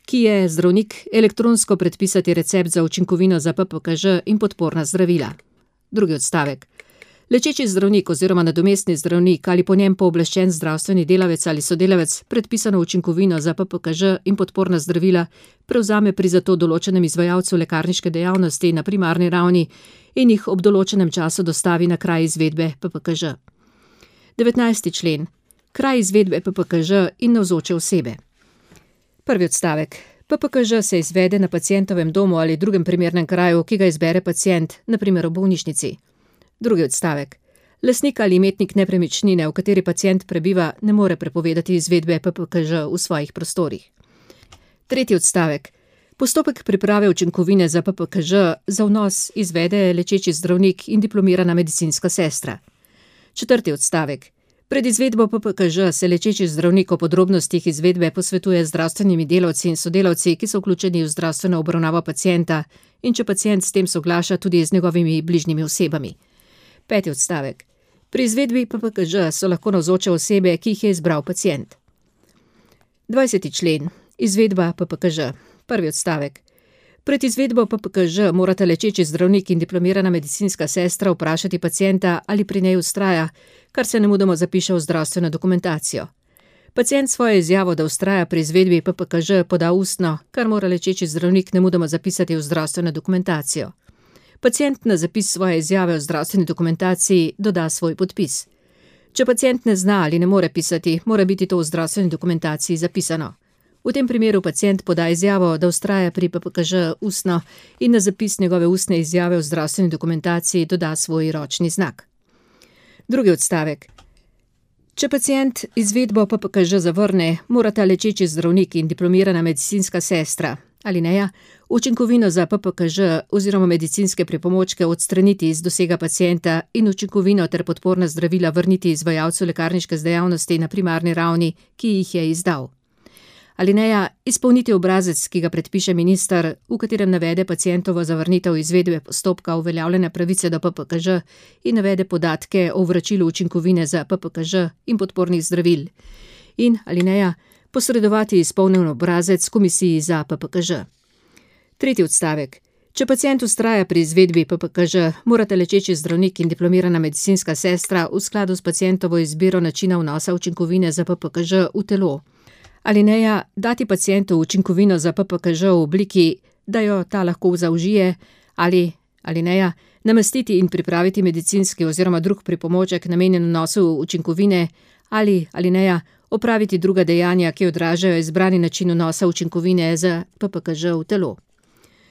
ki je zdravnik, elektronsko predpisati recept za učinkovino za PPKŽ in podporna zdravila. Drugi odstavek. Lečeči zdravnik oziroma nadomestni zdravnik ali po njem pooblaščen zdravstveni delavec ali sodelavec predpisano učinkovino za PPKŽ in podporna zdravila prevzame pri zato določenem izvajalcu lekarniške dejavnosti na primarni ravni in jih ob določenem času dostavi na kraj izvedbe PPKŽ. 19. člen. Kraj izvedbe PPKŽ in navzoče osebe. Prvi odstavek. PPKŽ se izvede na pacientovem domu ali drugem primernem kraju, ki ga izbere pacient, na primer v bolnišnici. Drugi odstavek. Lastnik ali imetnik nepremičnine, v kateri pacient prebiva, ne more prepovedati izvedbe PPKŽ v svojih prostorih. Tretji odstavek. Postopek priprave učinkovine za PPKŽ za vnos izvede lečeči zdravnik in diplomirana medicinska sestra. Četrti odstavek. Pred izvedbo PPKŽ se lečeči zdravnik o podrobnostih izvedbe posvetuje z zdravstvenimi delavci in sodelavci, ki so vključeni v zdravstveno obravnavo pacienta, in če pacient s tem soglaša, tudi z njegovimi bližnjimi osebami. 5. odstavek. Pri izvedbi PPKŽ so lahko navzoče osebe, ki jih je izbral pacient. 20. člen. Izvedba PPKŽ. 1. odstavek. Pred izvedbo PPKŽ morata lečeči zdravnik in diplomirana medicinska sestra vprašati pacienta, ali pri njej vztraja, kar se nemudoma zapiše v zdravstveno dokumentacijo. Pacient svojo izjavo, da vztraja pri izvedbi PPKŽ, poda ustno, kar mora lečeči zdravnik nemudoma zapisati v zdravstveno dokumentacijo. Pacient na zapis svoje izjave v zdravstveni dokumentaciji doda svoj podpis. Če pacient ne zna ali ne more pisati, mora biti to v zdravstveni dokumentaciji zapisano. V tem primeru pacient poda izjavo, da vztraja pri PPKŽ ustno in na zapis njegove ustne izjave v zdravstveni dokumentaciji doda svoj ročni znak. 2. odstavek. Če pacient izvedbo PPKŽ zavrne, morata lečeči zdravnik in diplomirana medicinska sestra, alineja, učinkovino za PPKŽ oziroma medicinske pripomočke odstraniti iz dosega pacienta in učinkovino ter podporna zdravila vrniti izvajalcu lekarniške dejavnosti na primarni ravni, ki jih je izdal. Alineja, izpolniti obrazec, ki ga predpiše minister, v katerem navede pacientovo zavrnitev izvedbe postopka uveljavljene pravice do PPKŽ in navede podatke o vračilu učinkovine za PPKŽ in podpornih zdravil. In, alineja, posredovati izpolnjen obrazec komisiji za PPKŽ. 3. odstavek. Če pacient vztraja pri izvedbi PPKŽ, morata lečeči zdravnik in diplomirana medicinska sestra v skladu s pacientovo izbiro načina vnosa učinkovine za PPKŽ v telo. Alineja, dati pacientu učinkovino za PPKŽ v obliki, da jo ta lahko zaužije, ali, alineja, namestiti in pripraviti medicinski oziroma drug pripomoček namenjen vnosu učinkovine, ali, alineja, opraviti druga dejanja, ki odražajo izbrani način vnosa učinkovine za PPKŽ v telo.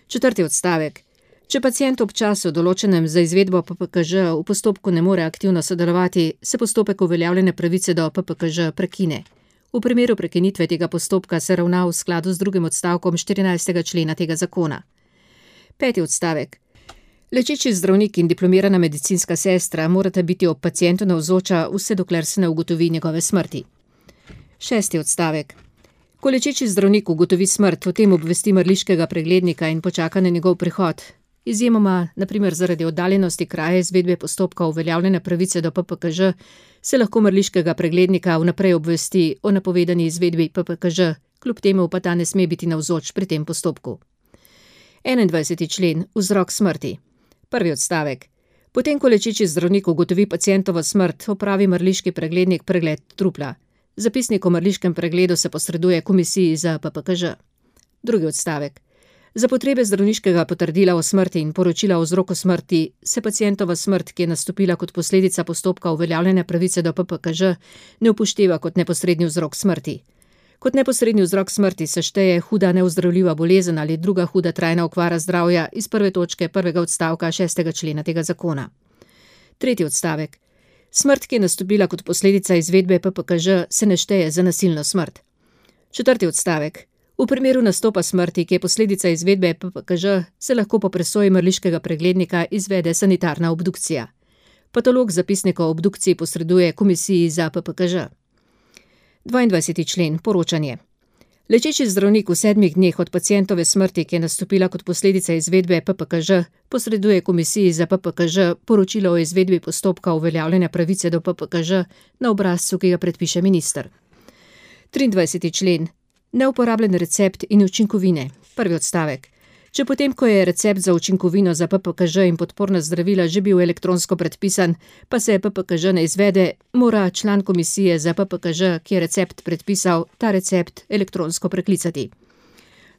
4. odstavek. Če pacient ob času določenem za izvedbo PPKŽ v postopku ne more aktivno sodelovati, se postopek uveljavljene pravice do PPKŽ prekine. V primeru prekinitve tega postopka se ravna v skladu z 2. odstavkom 14. člena tega zakona. 5. odstavek. Lečeči zdravnik in diplomirana medicinska sestra morata biti ob pacientu navzoča vse dokler se ne ugotovi njegove smrti. 6. odstavek. Ko lečeči zdravnik ugotovi smrt, o tem obvesti mrliškega preglednika in počaka na njegov prihod. Izjemoma, na primer zaradi oddaljenosti kraja izvedbe postopka uveljavljene pravice do PPKŽ, se lahko mrliškega preglednika vnaprej obvesti o napovedani izvedbi PPKŽ, kljub temu pa ta ne sme biti navzoč pri tem postopku. 21. člen. Vzrok smrti. 1. odstavek. Potem, ko lečeči zdravnik ugotovi pacientovo smrt, opravi mrliški preglednik pregled trupla. Zapisnik o mrliškem pregledu se posreduje komisiji za PPKŽ. 2. odstavek. Za potrebe zdravniškega potrdila o smrti in poročila o vzroku smrti se pacientova smrt, ki je nastopila kot posledica postopka uveljavljene pravice do PPKŽ, ne upošteva kot neposredni vzrok smrti. Kot neposredni vzrok smrti se šteje huda neozdravljiva bolezen ali druga huda trajna okvara zdravja iz 1. točke 1. odstavka 6. člena tega zakona. 3. odstavek. Smrt, ki je nastopila kot posledica izvedbe PPKŽ, se ne šteje za nasilno smrt. 4. odstavek. V primeru nastopa smrti, ki je posledica izvedbe PPKŽ, se lahko po presoji mrliškega preglednika izvede sanitarna obdukcija. Patolog zapisnika o obdukciji posreduje komisiji za PPKŽ. 22. člen. Poročanje. Lečeči zdravnik v 7 dneh od pacientove smrti, ki je nastopila kot posledica izvedbe PPKŽ, posreduje komisiji za PPKŽ poročilo o izvedbi postopka uveljavljene pravice do PPKŽ na obrazcu, ki ga predpiše minister. 23. člen. Neuporabljen recept in učinkovine. 1. odstavek. Če potem, ko je recept za učinkovino za PPKŽ in podporna zdravila že bil elektronsko predpisan, pa se PPKŽ ne izvede, mora član komisije za PPKŽ, ki je recept predpisal, ta recept elektronsko preklicati.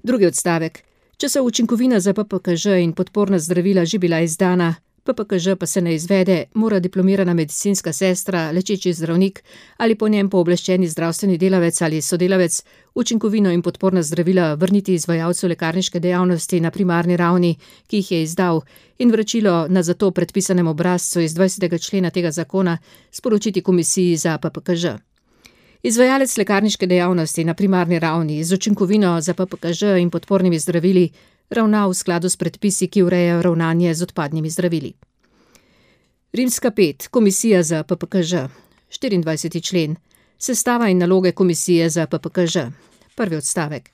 2. odstavek. Če so učinkovina za PPKŽ in podporna zdravila že bila izdana, PPKŽ pa se ne izvede, mora diplomirana medicinska sestra, lečeči zdravnik ali po njem pooblaščeni zdravstveni delavec ali sodelavec učinkovino in podporna zdravila vrniti izvajalcu lekarniške dejavnosti na primarni ravni, ki jih je izdal, in vračilo na zato predpisanem obrazcu iz 20. člena tega zakona sporočiti komisiji za PPKŽ. Izvajalec lekarniške dejavnosti na primarni ravni z učinkovino za PPKŽ in podpornimi zdravili ravna v skladu s predpisi, ki urejajo ravnanje z odpadnimi zdravili. Rimska 5. Komisija za PPKŽ. 24. člen. Sestava in naloge komisije za PPKŽ. Prvi odstavek.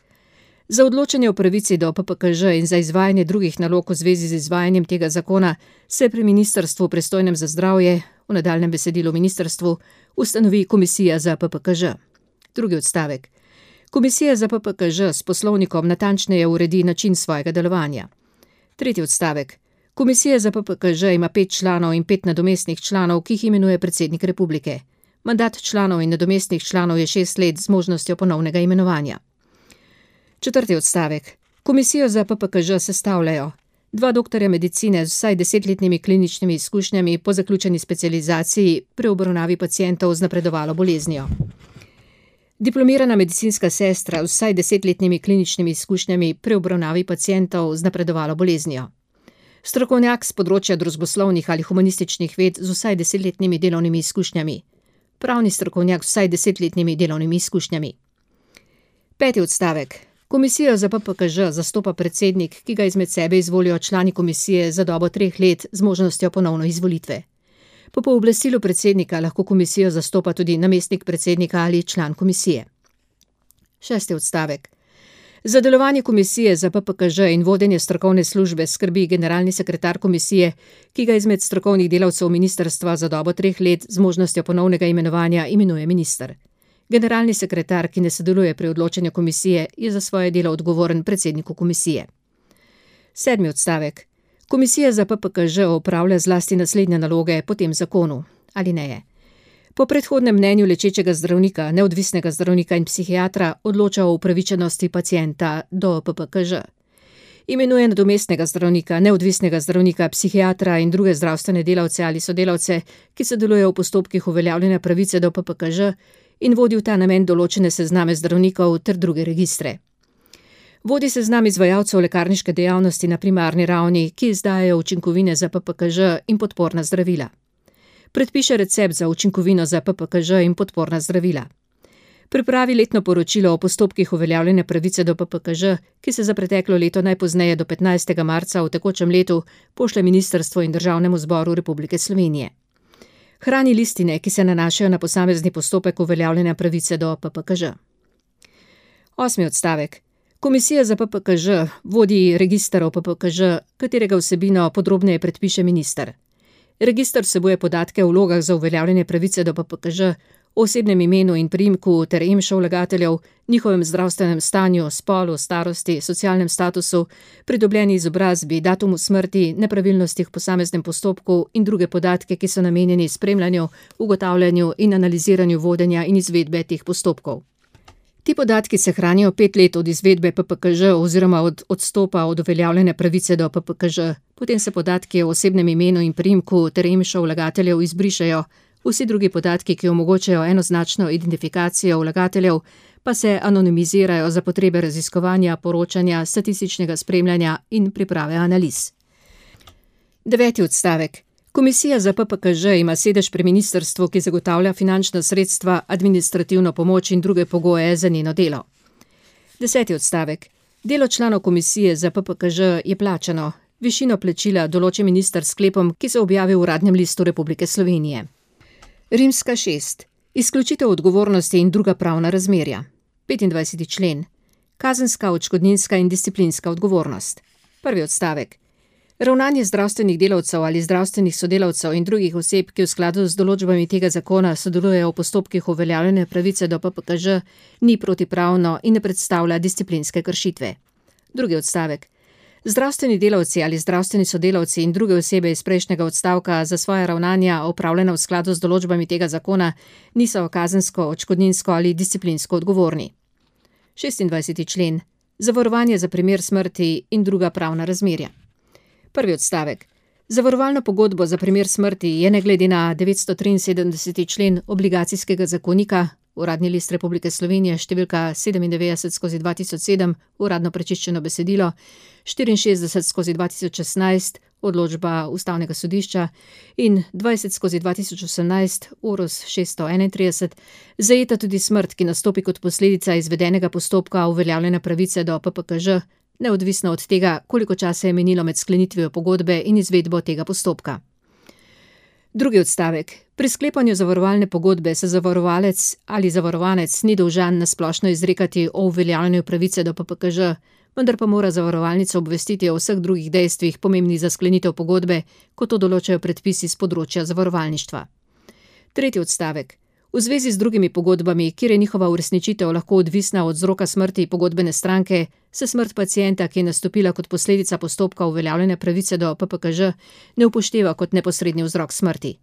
Za odločanje o pravici do PPKŽ in za izvajanje drugih nalog v zvezi z izvajanjem tega zakona se pri ministrstvu pristojnem za zdravje, v nadaljnjem besedilu ministrstvu, ustanovi komisija za PPKŽ. Drugi odstavek. Komisija za PPKŽ s poslovnikom natančneje uredi način svojega delovanja. Tretji odstavek. Komisija za PPKŽ ima 5 članov in 5 nadomestnih članov, ki jih imenuje predsednik republike. Mandat članov in nadomestnih članov je 6 let z možnostjo ponovnega imenovanja. Četrti odstavek. Komisijo za PPKŽ sestavljajo 2 doktorja medicine z vsaj 10-letnimi kliničnimi izkušnjami po zaključeni specializaciji pri obravnavi pacientov z napredovalo boleznijo. Diplomirana medicinska sestra z vsaj 10-letnimi kliničnimi izkušnjami pri obravnavi pacientov z napredovalo boleznijo. Strokovnjak z področja družboslovnih ali humanističnih ved z vsaj 10-letnimi delovnimi izkušnjami. Pravni strokovnjak z vsaj 10-letnimi delovnimi izkušnjami. Peti odstavek. Komisijo za PPKŽ zastopa predsednik, ki ga izmed sebe izvolijo člani komisije za dobo 3 let z možnostjo ponovno izvolitve. Po pooblastilu predsednika lahko komisijo zastopa tudi namestnik predsednika ali član komisije. Šesti odstavek. Za delovanje komisije za PPKŽ in vodenje strokovne službe skrbi generalni sekretar komisije, ki ga izmed strokovnih delavcev ministrstva za dobo 3 let z možnostjo ponovnega imenovanja imenuje minister. Generalni sekretar, ki ne sodeluje pri odločanju komisije, je za svoje delo odgovoren predsedniku komisije. Sedmi odstavek. Komisija za PPKŽ opravlja zlasti naslednje naloge po tem zakonu. Alineje. Po predhodnem mnenju lečečega zdravnika, neodvisnega zdravnika in psihiatra odloča o upravičenosti pacienta do PPKŽ. Imenuje nadomestnega zdravnika, neodvisnega zdravnika, psihiatra in druge zdravstvene delavce ali sodelavce, ki sodelujejo v postopkih uveljavljanja pravice do PPKŽ in vodi v ta namen določene sezname zdravnikov ter druge registre. Vodi seznam izvajalcev lekarniške dejavnosti na primarni ravni, ki izdajajo učinkovine za PPKŽ in podporna zdravila. Predpiše recept za učinkovino za PPKŽ in podporna zdravila. Pripravi letno poročilo o postopkih uveljavljanja pravice do PPKŽ, ki se za preteklo leto najpozneje do 15. marca v tekočem letu pošlje Ministrstvu in Državnemu zboru Republike Slovenije. Hrani listine, ki se nanašajo na posamezni postopek uveljavljanja pravice do PPKŽ. Osmi odstavek. Komisija za PPKŽ vodi register o PPKŽ, katerega vsebino podrobneje predpiše minister. Register vsebuje podatke o vlogah za uveljavljanje pravice do PPKŽ, o osebnem imenu in priimku ter EMŠO vlagateljev, njihovem zdravstvenem stanju, spolu, starosti, socialnem statusu, pridobljeni izobrazbi, datumu smrti, nepravilnostih v posameznem postopku in druge podatke, ki so namenjeni spremljanju, ugotavljanju in analiziranju vodenja in izvedbe teh postopkov. Ti podatki se hranijo 5 let od izvedbe PPKŽ oziroma od odstopa od uveljavljene pravice do PPKŽ, potem se podatki o osebnem imenu in priimku ter EMŠO vlagateljev izbrišejo, vsi drugi podatki, ki omogočajo enoznačno identifikacijo vlagateljev, pa se anonimizirajo za potrebe raziskovanja, poročanja, statističnega spremljanja in priprave analiz. 9. odstavek. Komisija za PPKŽ ima sedež pri ministrstvu, ki zagotavlja finančna sredstva, administrativno pomoč in druge pogoje za njeno delo. 10. odstavek. Delo članov komisije za PPKŽ je plačano. Višino plačila določi minister s sklepom, ki se objavi v Uradnem listu Republike Slovenije. Rimska 6. Izključitev odgovornosti in druga pravna razmerja. 25. člen. Kazenska, odškodninska in disciplinska odgovornost. Prvi odstavek. Ravnanje zdravstvenih delavcev ali zdravstvenih sodelavcev in drugih oseb, ki v skladu z določbami tega zakona sodelujejo v postopkih uveljavljanja pravice do PPKŽ, ni protipravno in ne predstavlja disciplinske kršitve. Drugi odstavek. Zdravstveni delavci ali zdravstveni sodelavci in druge osebe iz prejšnjega odstavka za svoje ravnanja opravljena v skladu z določbami tega zakona niso kazensko, odškodninsko ali disciplinsko odgovorni. 26. člen. Zavarovanje za primer smrti in druga pravna razmerja. Prvi odstavek. Zavarovalno pogodbo za primer smrti je ne glede na 973. člen obligacijskega zakonika, Uradni list Republike Slovenije, številka 97/2007, uradno prečiščeno besedilo, 64/2016, odločba Ustavnega sodišča in 20/2018, URUS 631, zajeta tudi smrt, ki nastopi kot posledica izvedenega postopka uveljavljanja pravice do PPKŽ, neodvisno od tega, koliko časa je minilo med sklenitvijo pogodbe in izvedbo tega postopka. Drugi odstavek. Pri sklepanju zavarovalne pogodbe se zavarovalec ali zavarovanec ni dolžan na splošno izrekati o uveljavljanju pravice do PPKŽ, vendar pa mora zavarovalnica obvestiti o vseh drugih dejstvih pomembnih za sklenitev pogodbe, kot to določajo predpisi z področja zavarovalništva. Tretji odstavek. V zvezi z drugimi pogodbami, kjer je njihova uresničitev lahko odvisna od vzroka smrti pogodbene stranke, se smrt pacienta, ki je nastopila kot posledica postopka uveljavljanja pravice do PPKŽ, ne upošteva kot neposredni vzrok smrti.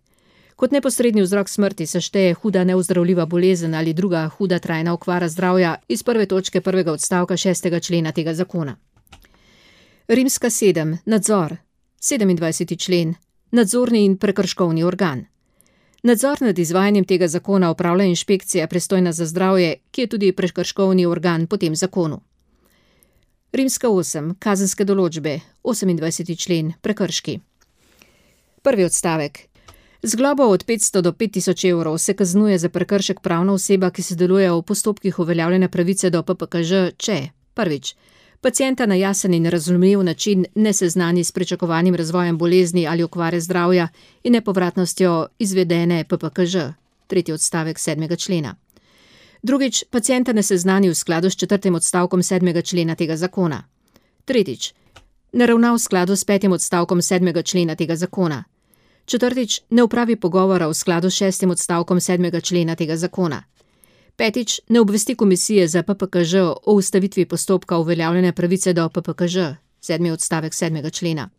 Kot neposredni vzrok smrti se šteje huda neozdravljiva bolezen ali druga huda trajna okvara zdravja iz prve točke prvega odstavka 6. člena tega zakona. Rimska 7. Nadzor. 27. člen. Nadzorni in prekrškovni organ. Nadzor nad izvajanjem tega zakona opravlja inšpekcija pristojna za zdravje, ki je tudi prekrškovni organ po tem zakonu. Rimska 8. Kazenske določbe. 28. člen. Prekrški. Prvi odstavek. Z globo od 500 do 5000 evrov se kaznuje za prekršek pravna oseba, ki sodeluje v postopkih uveljavljanja pravice do PPKŽ, če prvič, pacienta na jasen in razumljiv način ne seznani s pričakovanim razvojem bolezni ali okvare zdravja in nepovratnostjo izvedene PPKŽ, tretji odstavek 7. člena. Drugič, pacienta ne seznani v skladu s 4. odstavkom 7. člena tega zakona. Tretjič, ne ravna v skladu s 5. odstavkom 7. člena tega zakona. Četrtič, ne upravi pogovora v skladu s 6. odstavkom 7. člena tega zakona. Petič, ne obvesti komisije za PPKŽ o ustavitvi postopka uveljavljanja pravice do PPKŽ, 7. odstavek 7. člena.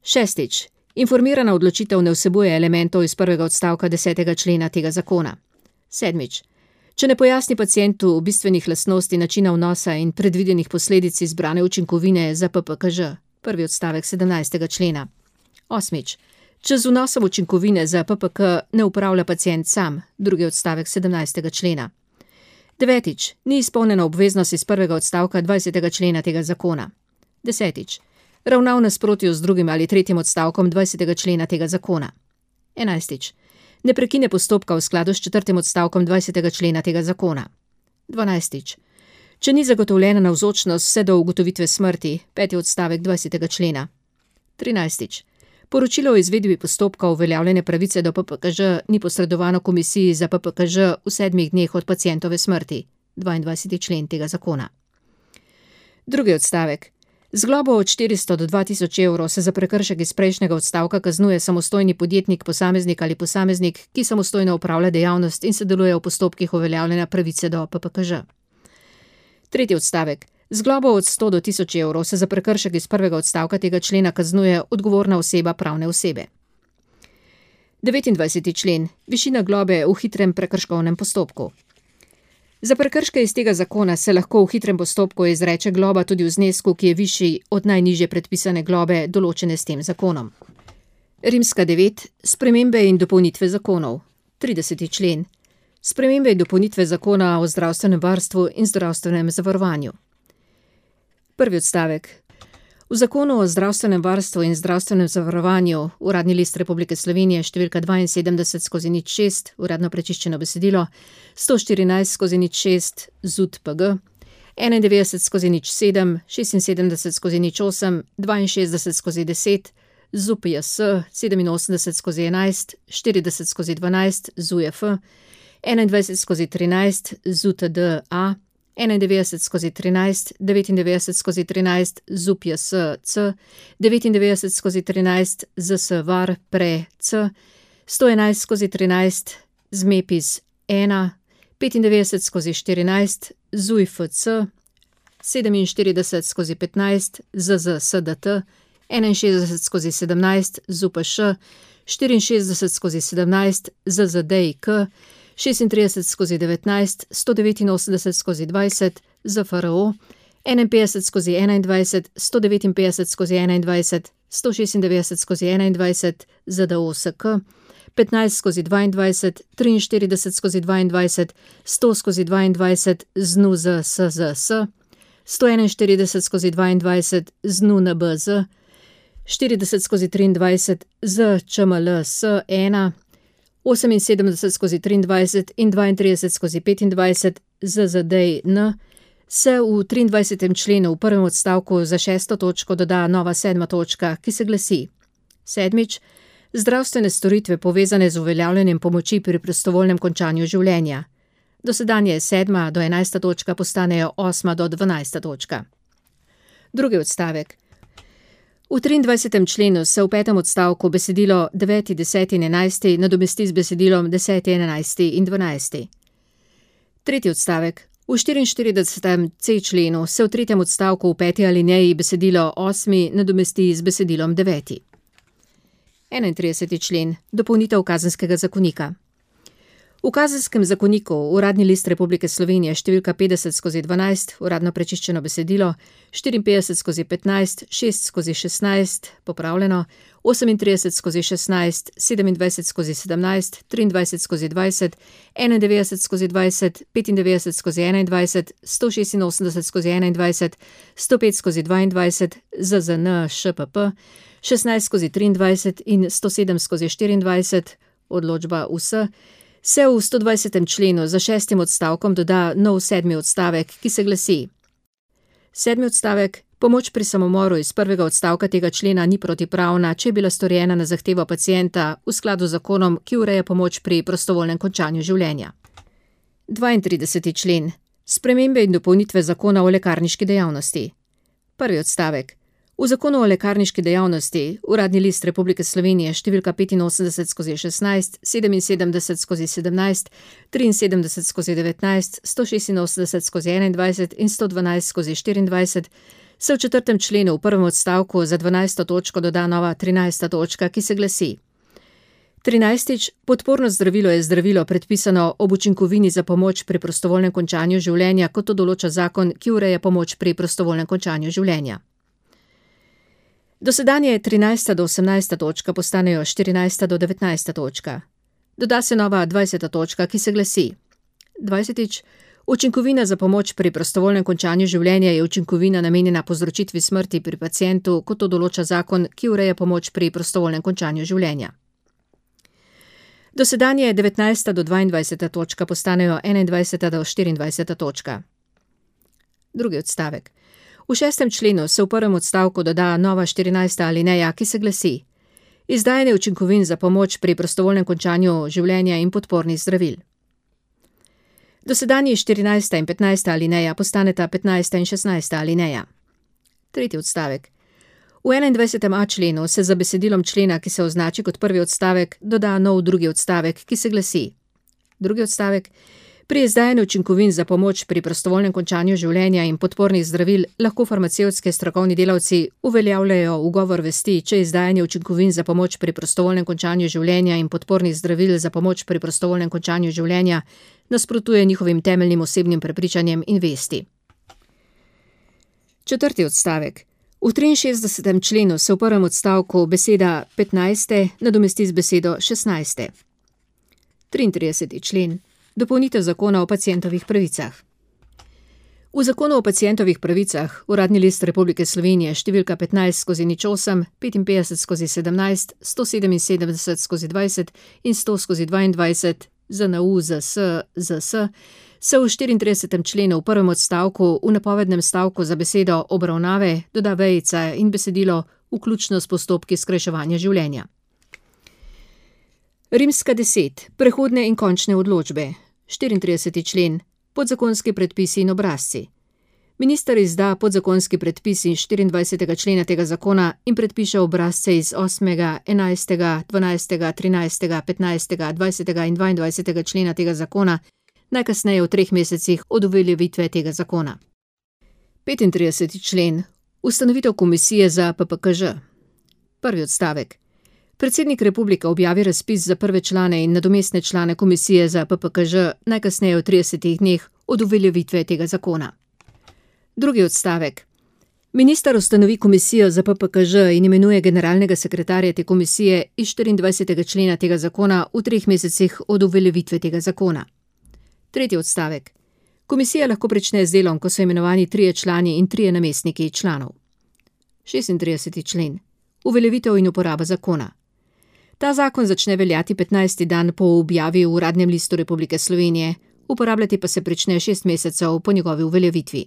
Šestič, informirana odločitev ne vsebuje elementov iz 1. odstavka 10. člena tega zakona. Sedmič, če ne pojasni pacientu bistvenih lastnosti načina vnosa in predvidenih posledic izbrane učinkovine za PPKŽ, 1. odstavek 17. člena. Osmič, če z vnosom učinkovine za PPK ne upravlja pacient sam, 2. odstavek 17. člena. Devetič, ni izpolnjena obveznost iz 1. odstavka 20. člena tega zakona. Desetič, ravna v nasprotju z 2. ali 3. odstavkom 20. člena tega zakona. Enajstič, ne prekine postopka v skladu s 4. odstavkom 20. člena tega zakona. 12. Če ni zagotovljena navzočnost vse do ugotovitve smrti, 5. odstavek 20. člena. 13. Poročilo o izvedbi postopka uveljavljanja pravice do PPKŽ ni posredovano komisiji za PPKŽ v 7 dneh od pacientove smrti, 22. člen tega zakona. Drugi odstavek. Z globo od 400 do 2000 evrov se za prekršek iz prejšnjega odstavka kaznuje samostojni podjetnik, posameznik ali posameznik, ki samostojno opravlja dejavnost in sodeluje v postopkih uveljavljanja pravice do PPKŽ. Tretji odstavek. Z globo od 100 do 1000 evrov se za prekršek iz prvega odstavka tega člena kaznuje odgovorna oseba pravne osebe. 29. člen. Višina globe v hitrem prekrškovnem postopku. Za prekrške iz tega zakona se lahko v hitrem postopku izreče globa tudi v znesku, ki je višji od najnižje predpisane globe, določene s tem zakonom. Rimska 9. Spremembe in dopolnitve zakonov. 30. člen. Spremembe in dopolnitve zakona o zdravstvenem varstvu in zdravstvenem zavarovanju. Prvi odstavek. V zakonu o zdravstvenem varstvu in zdravstvenem zavarovanju, Uradni list Republike Slovenije, številka 72/06, uradno prečiščeno besedilo, 114/06, ZUT-PG, 91/07, 76/08, 62/10, ZUP-JS, 87/11, 40/12, ZUJF, 21/13, ZUTD-A, 91/13, 99/13, ZUP-JS-C, 99/13, ZS-VAR-PRE-C, 111/13, ZMEPIS-1, 95/14, ZUJF-C, 47/15, ZZSDT, 61/17, ZUPŠ, 64/17, ZZDIK, 36/19, 189/20, ZFRO, 51/21, 159/21, 196/21, ZDOSK, 15/22, 43/22, 100/22, ZNUZSZS, 141/22, ZNUNBZ, 40/23, ZČMLS1, 78/23 in 32/25 ZZDN se v 23. členu v prvem odstavku za 6. točko doda nova 7. točka, ki se glasi: Sedmič, Zdravstvene storitve povezane z uveljavljanjem pomoči pri prostovoljnem končanju življenja. Dosedanje 7. do 11. točka postanejo 8. do 12. točka. Drugi odstavek. V 23. členu se v 5. odstavku besedilo 9., 10. in 11. nadomesti z besedilom 10., 11. in 12. Tretji odstavek. V 44. c členu se v 3. odstavku v 5. alineji besedilo 8. nadomesti z besedilom 9. 31. člen. Dopolnitev Kazenskega zakonika. V Kazenskem zakoniku Uradni list Republike Slovenije številka 50/12, uradno prečiščeno besedilo, 54/15, 6/16, popravljeno, 38/16, 27/17, 23/20, 91/20, 95/21, 186/21, 105/22, ZZN ŠPP, 16/23 in 107/24, odločba US, se v 120. členu za 6. odstavkom doda nov 7. odstavek, ki se glasi: 7. odstavek. Pomoč pri samomoru iz 1. odstavka tega člena ni protipravna, če je bila storjena na zahtevo pacienta v skladu z zakonom, ki ureja pomoč pri prostovoljnem končanju življenja. 32. člen. Spremembe in dopolnitve zakona o lekarniški dejavnosti. 1. odstavek. V zakonu o lekarniški dejavnosti, Uradni list Republike Slovenije številka 85/16, 77/17, 73/19, 186/21 in 112/24, se v 4. členu v 1. odstavku za 12. točko doda nova 13. točka, ki se glasi: 13. Podporno zdravilo je zdravilo predpisano ob učinkovini za pomoč pri prostovoljnem končanju življenja, kot to določa zakon, ki ureja pomoč pri prostovoljnem končanju življenja. Dosedanje 13. do 18. točka postanejo 14. do 19. točka. Doda se nova 20. točka, ki se glasi: 20. Učinkovina za pomoč pri prostovoljnem končanju življenja je učinkovina namenjena povzročitvi smrti pri pacientu, kot to določa zakon, ki ureja pomoč pri prostovoljnem končanju življenja. Dosedanje 19. do 22. točka postanejo 21. do 24. točka. Drugi odstavek. V 6. členu se v 1. odstavku doda nova 14. alineja, ki se glasi: izdajanje učinkovin za pomoč pri prostovoljnem končanju življenja in podpornih zdravil. Dosedanji 14. in 15. alineja postaneta 15. in 16. alineja. Tretji odstavek. V 21. členu se za besedilom člena, ki se označi kot prvi odstavek, doda nov drugi odstavek, ki se glasi: drugi odstavek. Pri izdajanju učinkovin za pomoč pri prostovoljnem končanju življenja in podpornih zdravil lahko farmacevtski strokovni delavci uveljavljajo ugovor vesti, če izdajanje učinkovin za pomoč pri prostovoljnem končanju življenja in podpornih zdravil za pomoč pri prostovoljnem končanju življenja nasprotuje njihovim temeljnim osebnim prepričanjem in vesti. Četrti odstavek. V 63. členu se v 1. odstavku beseda 15. nadomesti z besedo 16. 33. člen. Dopolnitev zakona o pacientovih pravicah. V zakonu o pacientovih pravicah Uradni list Republike Slovenije številka 15/08, 55/17, 177/20 in 100/22 ZNU ZS se v 34. členu v 1. odstavku v napovednem stavku za besedo obravnave doda vejica in besedilo vključno s postopki skrajševanja življenja. Rimska 10. Prehodne in končne odločbe. 34. člen. Podzakonski predpisi in obrazci. Minister izda podzakonski predpis iz 24. člena tega zakona in predpiše obrazce iz 8., 11., 12., 13., 15., 20. in 22. člena tega zakona, najkasneje v 3 mesecih od uveljavitve tega zakona. 35. člen. Ustanovitev komisije za PPKŽ. Prvi odstavek. Predsednik republike objavi razpis za prve člane in nadomestne člane komisije za PPKŽ najkasneje v 30 dneh od uveljavitve tega zakona. Drugi odstavek. Minister ustanovi komisijo za PPKŽ in imenuje generalnega sekretarja te komisije iz 24. člena tega zakona v 3 mesecih od uveljavitve tega zakona. Tretji odstavek. Komisija lahko prične z delom, ko so imenovani 3 člani in 3 namestniki članov. 36. člen. Uveljavitev in uporaba zakona. Ta zakon začne veljati 15. dan po objavi v Uradnem listu Republike Slovenije, uporabljati pa se prične 6 mesecev po njegovi uveljavitvi.